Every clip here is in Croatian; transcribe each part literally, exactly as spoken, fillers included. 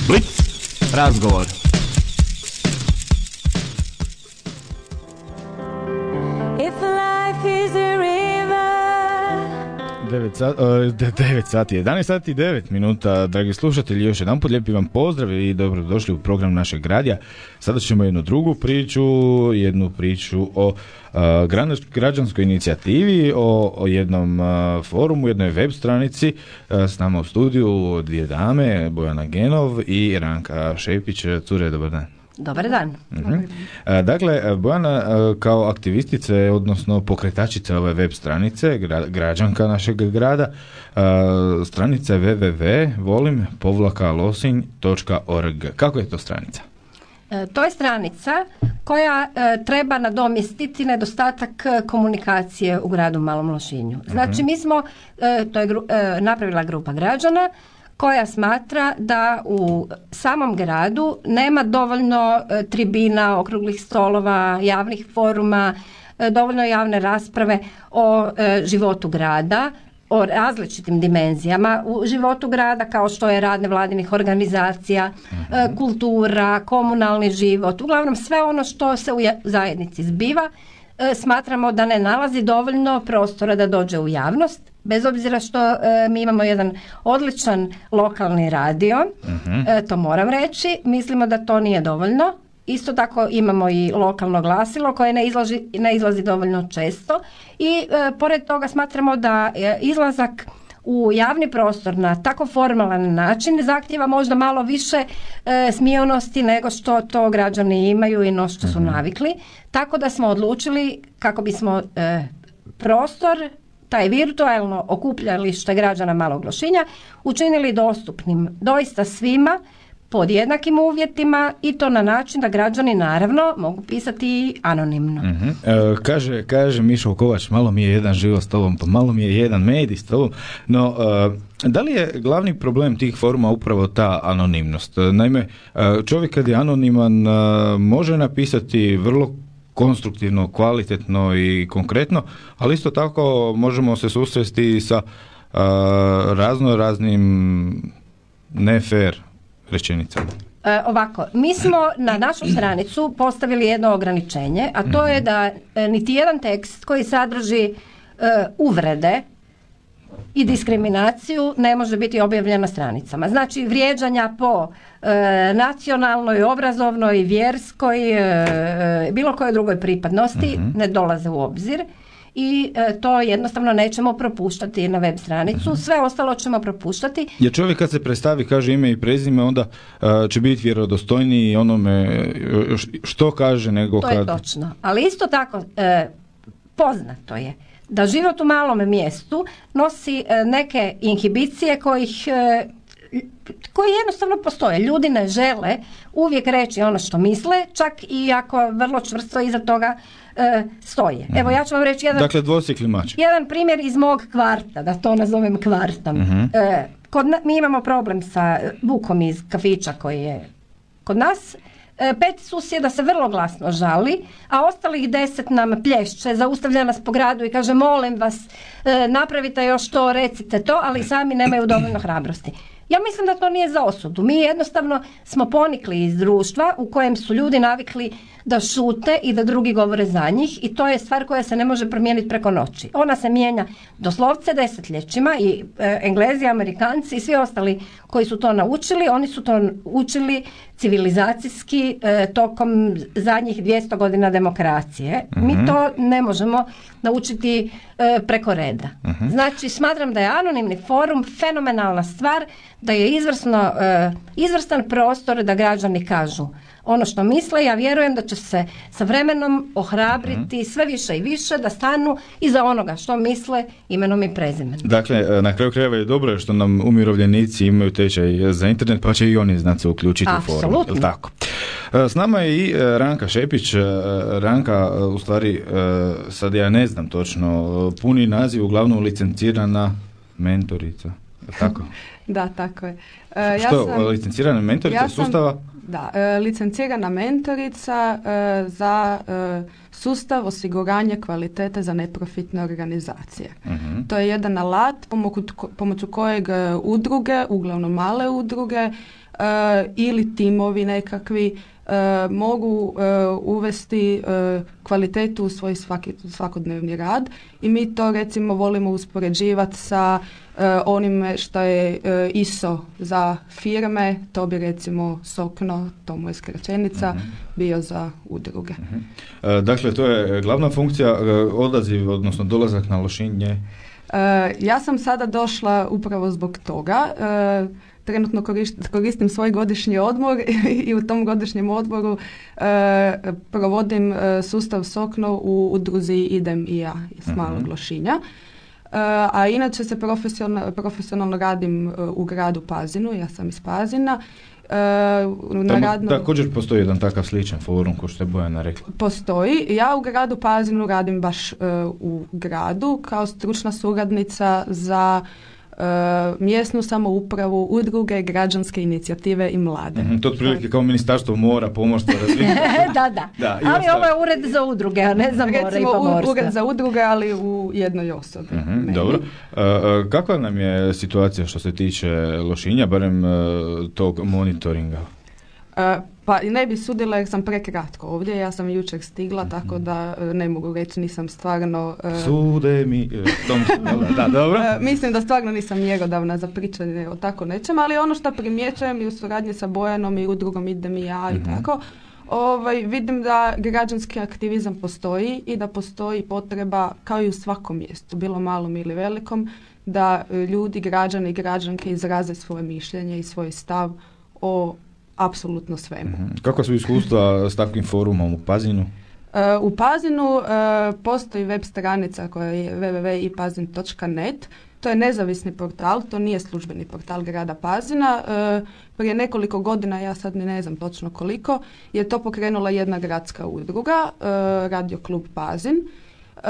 Blitz razgovor. devet sati, jedanaest sati i devet minuta, dragi slušatelji, još jedan put lijepi vam pozdrav i dobrodošli u program našeg radija. Sada ćemo jednu drugu priču, jednu priču o uh, građanskoj inicijativi, o, o jednom uh, forumu, jednoj web stranici. Uh, s nama u studiju dvije dame, Bojana Genov i Ranka Šepić. Cure, dobar dan. Dobar dan. Uh-huh. Dakle, Bojana kao aktivistica, odnosno pokretačica ove web stranice, građanka našeg grada, stranica je w w w točka volim povlaka losinj točka org. Kako je to stranica? To je stranica koja e, treba nadomjestiti nedostatak komunikacije u gradu Malom Lošinju. Znači, mi smo, e, to je gru, e, napravila grupa građana koja smatra da u samom gradu nema dovoljno e, tribina, okruglih stolova, javnih foruma, e, dovoljno javne rasprave o e, životu grada, o različitim dimenzijama u životu grada, kao što je rad nevladinih organizacija, uh-huh. e, kultura, komunalni život, uglavnom sve ono što se u zajednici zbiva, e, smatramo da ne nalazi dovoljno prostora da dođe u javnost. Bez obzira što e, mi imamo jedan odličan lokalni radio, uh-huh. e, to moram reći, mislimo da to nije dovoljno. Isto tako imamo i lokalno glasilo koje ne izlazi, ne izlazi dovoljno često i e, pored toga smatramo da e, izlazak u javni prostor na tako formalan način zahtijeva možda malo više e, smijonosti nego što to građani imaju i no što su uh-huh. navikli. Tako da smo odlučili kako bismo e, prostor, taj virtualno okupljalište građana Malog Lošinja učinili dostupnim doista svima pod jednakim uvjetima i to na način da građani naravno mogu pisati anonimno. Uh-huh. E, kaže, kaže Mišo Kovač, malo mi je jedan život s tobom, pa malo mi je jedan medij s tobom, no e, da li je glavni problem tih foruma upravo ta anonimnost? Naime, čovjek kad je anoniman može napisati vrlo konstruktivno, kvalitetno i konkretno, ali isto tako možemo se susresti sa uh, razno raznim ne fair rečenicama. E, ovako, mi smo na našu stranicu postavili jedno ograničenje, a to je da e, niti jedan tekst koji sadrži e, uvrede i diskriminaciju ne može biti objavljen na stranicama. Znači, vrijeđanja po e, nacionalnoj, obrazovnoj, vjerskoj, e, bilo kojoj drugoj pripadnosti uh-huh. ne dolaze u obzir i e, to jednostavno nećemo propuštati na web stranicu. Uh-huh. Sve ostalo ćemo propuštati. Jer čovjek kad se predstavi, kaže ime i prezime, onda uh, će biti vjerodostojniji onome što kaže nego to kad... To je točno. Ali isto tako e, poznato je da život u malom mjestu nosi e, neke inhibicije kojih, e, koji jednostavno postoje. Ljudi ne žele uvijek reći ono što misle, čak i ako vrlo čvrsto iza toga e, stoje. Uh-huh. Evo, ja ću vam reći jedan, dakle, dvosjekli mač. jedan primjer iz mog kvarta, da to nazovem kvartom. Uh-huh. E, kod na, mi imamo problem sa bukom iz kafića koji je kod nas. Pet susjeda se vrlo glasno žali, a ostalih deset nam plješće, zaustavlja nas po gradu i kaže molim vas, napravite još to, recite to, ali sami nemaju dovoljno hrabrosti. Ja mislim da to nije za osudu. Mi jednostavno smo ponikli iz društva u kojem su ljudi navikli da šute i da drugi govore za njih i to je stvar koja se ne može promijeniti preko noći. Ona se mijenja doslovce desetljećima i e, Englezi, Amerikanci i svi ostali koji su to naučili, oni su to učili civilizacijski e, tokom zadnjih dvjesto godina demokracije. Uh-huh. Mi to ne možemo naučiti e, preko reda. Uh-huh. Znači, smatram da je anonimni forum fenomenalna stvar, da je izvrsno, e, izvrstan prostor da građani kažu ono što misle. Ja vjerujem da će se sa vremenom ohrabriti uh-huh. sve više i više da stanu iza onoga što misle imenom i prezimenom. Dakle, na kraju krajeva je dobro što nam umirovljenici imaju tečaj za internet, pa će i oni znati se uključiti u forum. Apsolutno. Tako. S nama je i Ranka Šepić. Ranka, u stvari, sad ja ne znam točno, puni naziv, uglavnom licencirana mentorica. Tako? Da, tako je. Uh, Što, ja sam, licencirana mentorica ja sam, sustava? Da, e, licencirana mentorica e, za e, sustav osiguranja kvalitete za neprofitne organizacije. Uh-huh. To je jedan alat pomoću, pomoću kojeg udruge, uglavnom male udruge e, ili timovi nekakvi e, mogu e, uvesti e, kvalitetu u svoj svaki, svakodnevni rad i mi to recimo volimo uspoređivati sa e, onime što je e, I S O za firme, to bi recimo SOKNO, to mu je skraćenica, uh-huh. bio za udruge. Uh-huh. E, dakle, to je glavna funkcija, e, odaziv, odnosno dolazak na Lošinj je? E, ja sam sada došla upravo zbog toga. E, trenutno korist, koristim svoj godišnji odmor i u tom godišnjem odmoru e, provodim e, sustav SOKNO u udruzi Idem i ja iz uh-huh. Malog Lošinja. Uh, a inače se profesionalno, profesionalno radim uh, u gradu Pazinu, ja sam iz Pazina. Uh, na Tamo radnom... također postoji jedan takav sličan forum, kao što je Bojana rekla. Postoji. Ja u gradu Pazinu radim baš uh, u gradu kao stručna suradnica za uh, mjesnu samoupravu, udruge, građanske inicijative i mlade. Mm-hmm, to je otprilike kao Ministarstvo mora, pomorstva, razvitka. da, da. da ali ovo je ured za udruge, a ne za more i pomorstva. Recimo ured za udruge, ali u jednoj osobi. Mm-hmm, dobro. Uh, uh, kakva nam je situacija što se tiče Lošinja, barem uh, tog monitoringa? Uh, pa ne bi sudila jer sam prekratko ovdje, ja sam jučer stigla, mm-hmm. tako da uh, ne mogu reći, nisam stvarno... Uh, Sude mi... Tom, da, dobro. Uh, mislim da stvarno nisam mjerodavna za pričanje o tako nečem, ali ono što primjećujem i u suradnji sa Bojanom i udrugom Idem i ja i mm-hmm. tako, ovaj, vidim da građanski aktivizam postoji i da postoji potreba, kao i u svakom mjestu, bilo malom ili velikom, da uh, ljudi, građani i građanke izraze svoje mišljenje i svoj stav o apsolutno svemu. Mm-hmm. Kako su iskustva s takvim forumom u Pazinu? Uh, u Pazinu uh, postoji web stranica koja je w w w tačka i pazin tačka net. To je nezavisni portal, to nije službeni portal grada Pazina. Uh, prije nekoliko godina, ja sad ne znam točno koliko, je to pokrenula jedna gradska udruga, uh, Radio klub Pazin. Uh,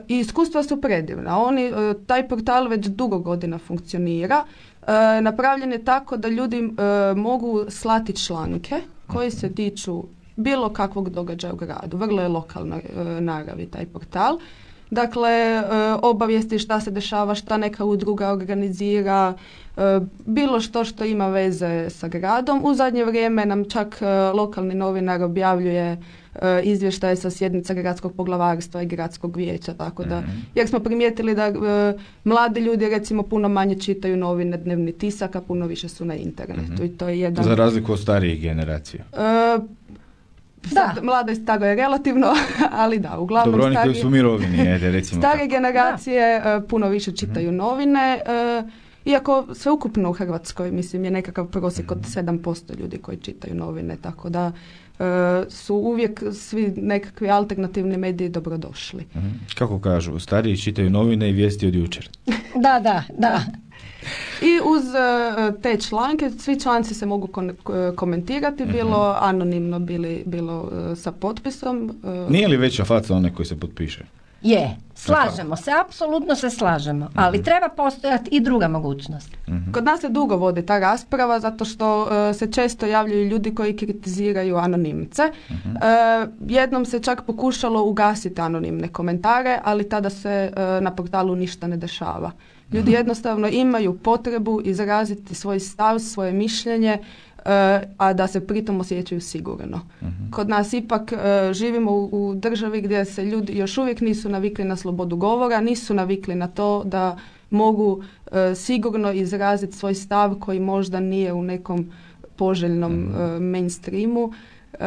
I iskustva su predivna. Oni, uh, taj portal već dugo godina funkcionira. Uh, napravljen je tako da ljudi uh, mogu slati članke koji se tiču bilo kakvog događaja u gradu. Vrlo je lokalna uh, naravi taj portal. Dakle, uh, obavijesti šta se dešava, šta neka udruga organizira, uh, bilo što što ima veze sa gradom. U zadnje vrijeme nam čak uh, lokalni novinar objavljuje uh, izvještaje sa sjednica gradskog poglavarstva i gradskog vijeća, tako da, mm-hmm. jer smo primijetili da uh, mladi ljudi recimo puno manje čitaju novine, dnevni tisak, a puno više su na internetu. Mm-hmm. I to je jedan... Za razliku od starijih generacija. Uh, Sad, da. Mlado i staro je relativno, ali da, uglavnom Dobro, oni stari, koji su mirovini, ajde, recimo stare tako. generacije uh, puno više čitaju mm-hmm. novine, uh, iako sveukupno u Hrvatskoj, mislim, je nekakav prosjek mm-hmm. od sedam posto ljudi koji čitaju novine, tako da uh, su uvijek svi nekakvi alternativni mediji dobrodošli. Mm-hmm. Kako kažu, stariji čitaju novine i vijesti od jučer. da, da, da. I uz uh, te članke, svi članci se mogu kon- komentirati, mm-hmm. bilo anonimno, bili, bilo uh, sa potpisom. Uh. Nije li veća faca onaj koji se potpiše? Je, slažemo se, apsolutno se slažemo, mm-hmm. ali treba postojati i druga mogućnost. Mm-hmm. Kod nas se dugo vodi ta rasprava zato što uh, se često javljaju ljudi koji kritiziraju anonimce. Mm-hmm. Uh, jednom se čak pokušalo ugasiti anonimne komentare, ali tada se uh, na portalu ništa ne dešava. Ljudi jednostavno imaju potrebu izraziti svoj stav, svoje mišljenje, uh, a da se pritom osjećaju sigurno. Uh-huh. Kod nas ipak uh, živimo u, u državi gdje se ljudi još uvijek nisu navikli na slobodu govora, nisu navikli na to da mogu uh, sigurno izraziti svoj stav koji možda nije u nekom poželjnom uh-huh. uh, mainstreamu. Uh,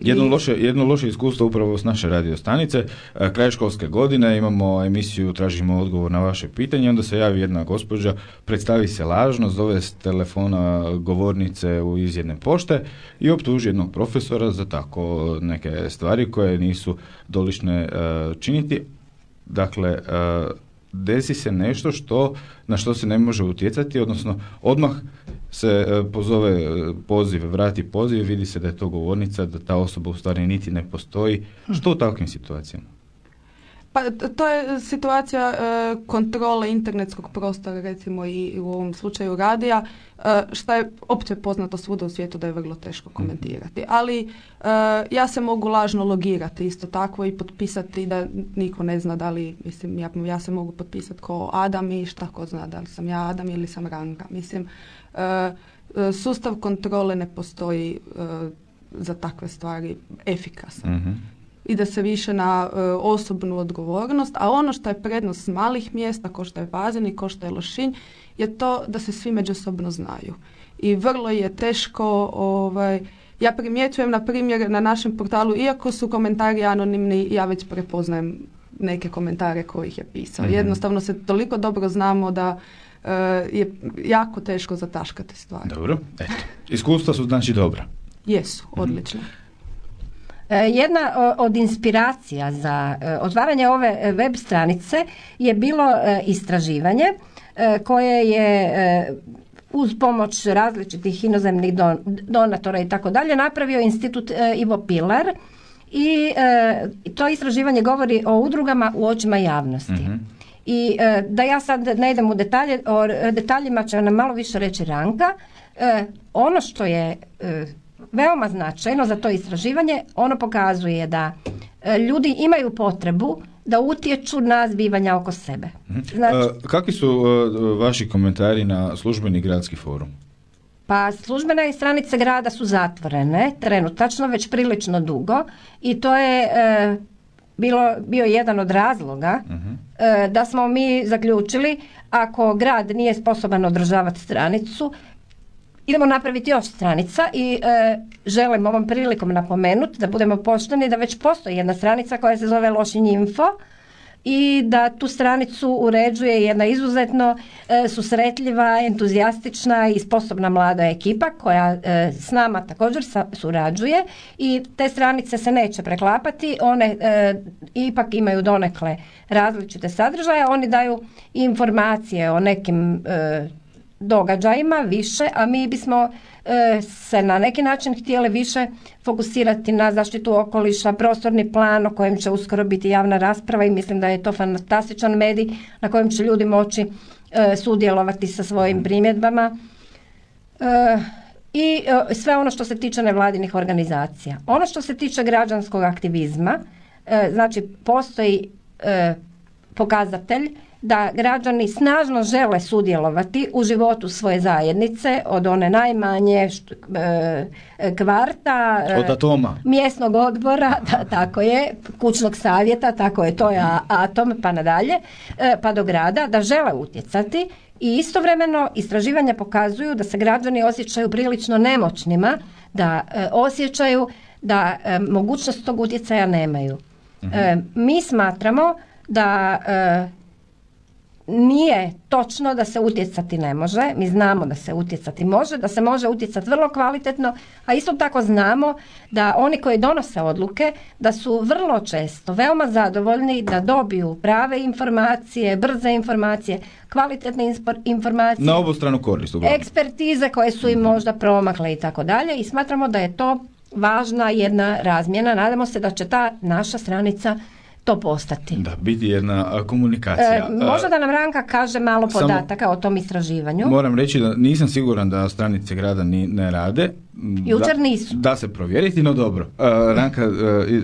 jedno, i... loše, jedno loše iskustvo upravo s naše radio stanice. Uh, kraj školske godine imamo emisiju Tražimo odgovor na vaše pitanje, onda se javi jedna gospođa, predstavi se lažno, zove s telefona govornice u iz jedne pošte i optuži jednog profesora za tako neke stvari koje nisu dolične uh, činiti. Dakle, uh, desi se nešto što, na što se ne može utjecati, odnosno odmah se pozove poziv, vrati poziv, vidi se da je to govornica, da ta osoba u stvari niti ne postoji. Što u takvim situacijama? Pa to je situacija e, kontrole internetskog prostora, recimo i u ovom slučaju radija, e, što je opće poznato svuda u svijetu da je vrlo teško komentirati. Ali e, ja se mogu lažno logirati isto tako i potpisati da niko ne zna da li, mislim, ja, ja se mogu potpisati kao Adam i šta ko zna da li sam ja Adam ili sam Ranka. Mislim, e, sustav kontrole ne postoji e, za takve stvari efikasan. Mm-hmm. Ide se više na e, osobnu odgovornost, a ono što je prednost malih mjesta, ko što je Pazin i ko što je Lošinj, je to da se svi međusobno znaju. I vrlo je teško, ovaj, ja primjećujem na primjer na našem portalu, iako su komentari anonimni, ja već prepoznajem neke komentare kojih je pisao. Mm-hmm. Jednostavno se toliko dobro znamo da e, je jako teško zataškati stvari. Dobro, eto. Iskustva su znači dobra. Jesu, odlično. Mm-hmm. Jedna od inspiracija za otvaranje ove web stranice je bilo istraživanje koje je uz pomoć različitih inozemnih donatora i tako dalje napravio institut Ivo Pilar i to istraživanje govori o udrugama u očima javnosti. Mm-hmm. I da ja sad ne idem u detalje, o detaljima će nam malo više reći Ranka. Ono što je veoma značajno za to istraživanje, ono pokazuje da e, ljudi imaju potrebu da utječu na zbivanja oko sebe. Znači, e, kakvi su e, vaši komentari na službeni gradski forum? Pa službene stranice grada su zatvorene, trenutačno već prilično dugo i to je e, bilo, bio jedan od razloga uh-huh. e, da smo mi zaključili ako grad nije sposoban održavati stranicu, idemo napraviti još stranica i e, želim ovom prilikom napomenuti da budemo pošteni da već postoji jedna stranica koja se zove Lošinj Info i da tu stranicu uređuje jedna izuzetno e, susretljiva, entuzijastična i sposobna mlada ekipa koja e, s nama također sa, surađuje i te stranice se neće preklapati, one e, ipak imaju donekle različite sadržaje, oni daju informacije o nekim e, događajima više, a mi bismo e, se na neki način htjeli više fokusirati na zaštitu okoliša, prostorni plan o kojem će uskoro biti javna rasprava i mislim da je to fantastičan medij na kojem će ljudi moći e, sudjelovati sa svojim primjedbama e, i e, sve ono što se tiče nevladinih organizacija. Ono što se tiče građanskog aktivizma, e, znači postoji e, pokazatelj da građani snažno žele sudjelovati u životu svoje zajednice, od one najmanje št, e, kvarta, od atoma, mjesnog odbora, da, tako je, kućnog savjeta, tako je, to je atom, pa nadalje, e, pa do grada, da žele utjecati i istovremeno istraživanja pokazuju da se građani osjećaju prilično nemoćnima, da e, osjećaju da e, mogućnost tog utjecaja nemaju. Mhm. E, mi smatramo da e, nije točno da se utjecati ne može, mi znamo da se utjecati može, da se može utjecati vrlo kvalitetno, a isto tako znamo da oni koji donose odluke, da su vrlo često veoma zadovoljni da dobiju prave informacije, brze informacije, kvalitetne informacije. Na obostranu korist. Ekspertize koje su im možda promakle i tako dalje i smatramo da je to važna jedna razmjena. Nadamo se da će ta naša stranica to postati. Da, biti jedna komunikacija. E, možda da nam Ranka kaže malo podataka Samo, o tom istraživanju. Moram reći da nisam siguran da stranice grada ni, ne rade. Jučer da, nisu. Da se provjeriti, no dobro. Uh, Ranka, uh,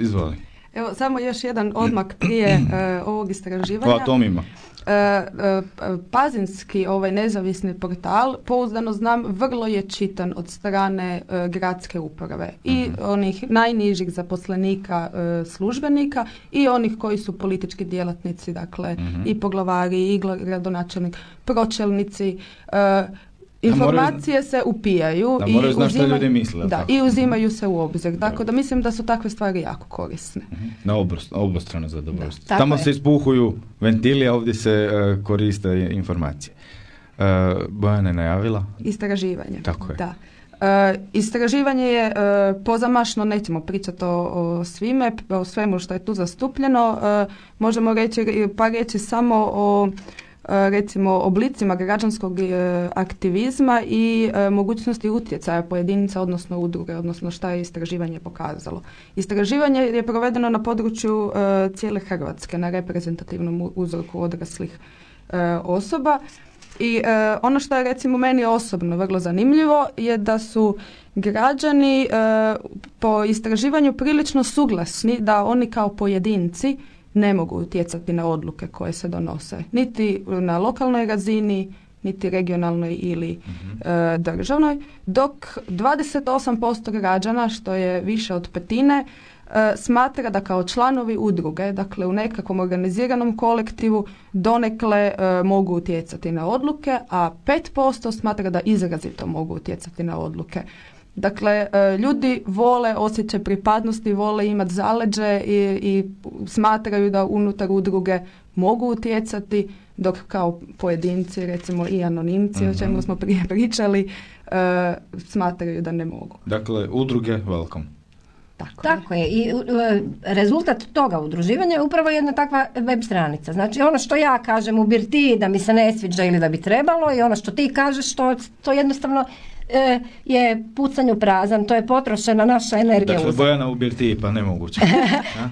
izvoli. Evo, samo još jedan odmak prije uh, ovog istraživanja. O atomima. Uh, uh, Pazinski ovaj nezavisni portal, pouzdano znam, vrlo je čitan od strane uh, gradske uprave i uh-huh. onih najnižih zaposlenika uh, službenika i onih koji su politički djelatnici, dakle uh-huh. i poglavari i gradonačelnik, pročelnici. Uh, Informacije moraju, se upijaju da i, uzima, ljudi misle, da, i uzimaju se u obzir. Tako da mislim da su takve stvari jako korisne. Na obostrano zadovoljstvo. Tamo se ispuhuju ventili, a ovdje se uh, koriste informacije. Uh, Bojana je najavila? Istraživanje. Tako je. Da. Uh, istraživanje je uh, pozamašno, nećemo pričati o, o svime, o svemu što je tu zastupljeno. Uh, možemo reći par riječi samo o recimo oblicima građanskog aktivizma i mogućnosti utjecaja pojedinca, odnosno udruge, odnosno šta je istraživanje pokazalo. Istraživanje je provedeno na području cijele Hrvatske, na reprezentativnom uzorku odraslih osoba. I ono što je recimo meni osobno vrlo zanimljivo je da su građani po istraživanju prilično suglasni da oni kao pojedinci ne mogu utjecati na odluke koje se donose. Niti na lokalnoj razini, niti regionalnoj ili mm-hmm. e, državnoj, dok dvadeset osam posto građana, što je više od petine, e, smatra da kao članovi udruge, dakle u nekakvom organiziranom kolektivu, donekle e, mogu utjecati na odluke, a pet posto smatra da izrazito mogu utjecati na odluke. Dakle, ljudi vole osjećaj pripadnosti, vole imati zaleđe i, i smatraju da unutar udruge mogu utjecati, dok kao pojedinci, recimo i anonimci, mm-hmm. o čemu smo prije pričali, uh, smatraju da ne mogu. Dakle, udruge welcome. Tako, Tako je. je. I uh, rezultat toga udruživanja je upravo jedna takva web stranica. Znači, ono što ja kažem u birtiji da mi se ne sviđa ili da bi trebalo, i ono što ti kažeš, to, to jednostavno je pucanju prazan, to je potrošena naša energija. Dakle, Bojana u birtiji, pa nemoguće.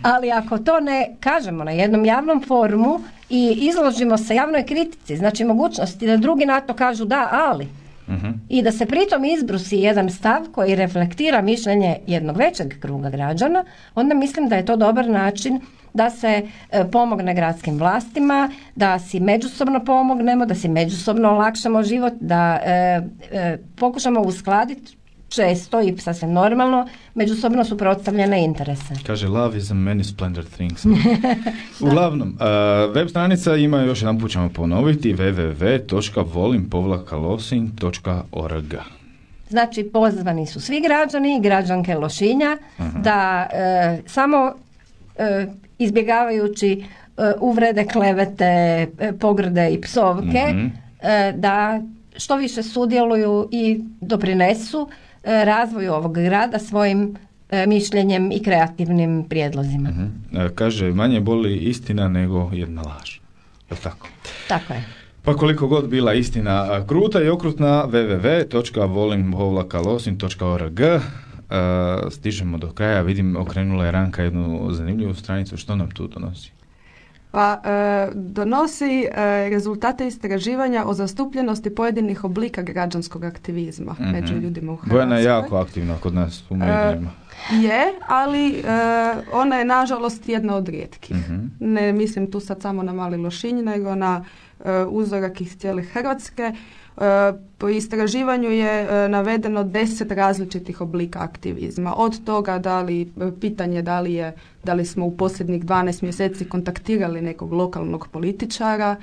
Ali ako to ne kažemo na jednom javnom forumu i izložimo se javnoj kritici, znači mogućnosti da drugi na to kažu da, ali, uh-huh. i da se pritom izbrusi jedan stav koji reflektira mišljenje jednog većeg kruga građana, onda mislim da je to dobar način da se e, pomogne gradskim vlastima, da si međusobno pomognemo, da si međusobno olakšamo život, da e, e, pokušamo uskladiti često i sasvim normalno međusobno suprotstavljene interese. Kaže, love is a many splendid things. Uglavnom, uh, web stranica ima, još jedan put ćemo ponoviti, w w w točka volim povlaka losinj točka org. Znači, pozvani su svi građani i građanke Lošinja uh-huh. da e, samo e, izbjegavajući uh, uvrede, klevete, pogrde i psovke, mm-hmm. uh, da što više sudjeluju i doprinesu uh, razvoju ovog grada svojim uh, mišljenjem i kreativnim prijedlozima. Mm-hmm. Uh, kaže, manje boli istina nego jedna laž. Je li tako? Tako je. Pa koliko god bila istina kruta i okrutna, w w w točka volim povlaka losinj točka org. Uh, stižemo do kraja, vidim okrenula je Ranka jednu zanimljivu stranicu, što nam tu donosi? Pa e, donosi e, rezultate istraživanja o zastupljenosti pojedinih oblika građanskog aktivizma mm-hmm. među ljudima u Hrvatskoj. Bojana je jako aktivna kod nas u medijima. E, je, ali e, ona je nažalost jedna od rijetkih. Mm-hmm. Ne mislim tu sad samo na Mali Lošinj, nego na e, uzorak iz cijele Hrvatske. Po istraživanju je navedeno deset različitih oblika aktivizma. Od toga da li, pitanje da li, je, da li smo u posljednjih dvanaest mjeseci kontaktirali nekog lokalnog političara,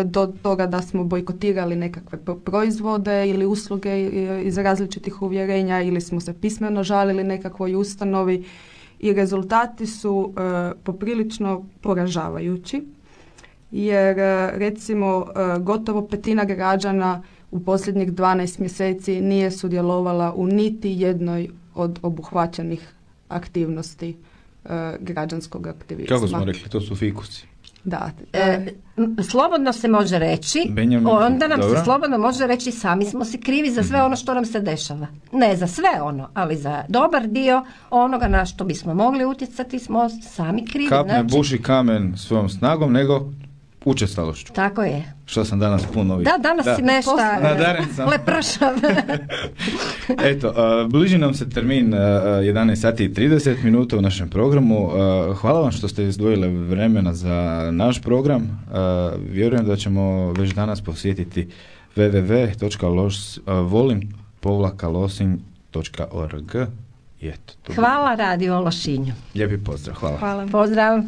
do toga da smo bojkotirali nekakve proizvode ili usluge iz različitih uvjerenja ili smo se pismeno žalili nekakvoj ustanovi i rezultati su poprilično poražavajući. Jer recimo gotovo petina građana u posljednjih dvanaest mjeseci nije sudjelovala u niti jednoj od obuhvaćenih aktivnosti uh, građanskog aktivizma. Kako smo rekli, to su fikusi. Da. E, slobodno se može reći, Benjamin, onda nam dobro. se slobodno može reći sami smo si krivi za sve ono što nam se dešava. Ne za sve ono, ali za dobar dio onoga na što bismo mogli utjecati smo sami krivi. Kap ne znači, buši kamen svojom snagom, nego učestalošću. Tako je. Što sam danas puno vidio. Da, danas da. si nešto lepršav. Eto, uh, bliži nam se termin uh, jedanaest sati i trideset minuta u našem programu. Uh, hvala vam što ste izdvojili vremena za naš program. Uh, vjerujem da ćemo već danas posjetiti w w w točka volim povlaka losinj točka org. Hvala Radio Lošinju. Lijepi pozdrav. Hvala. Hvala. Pozdrav.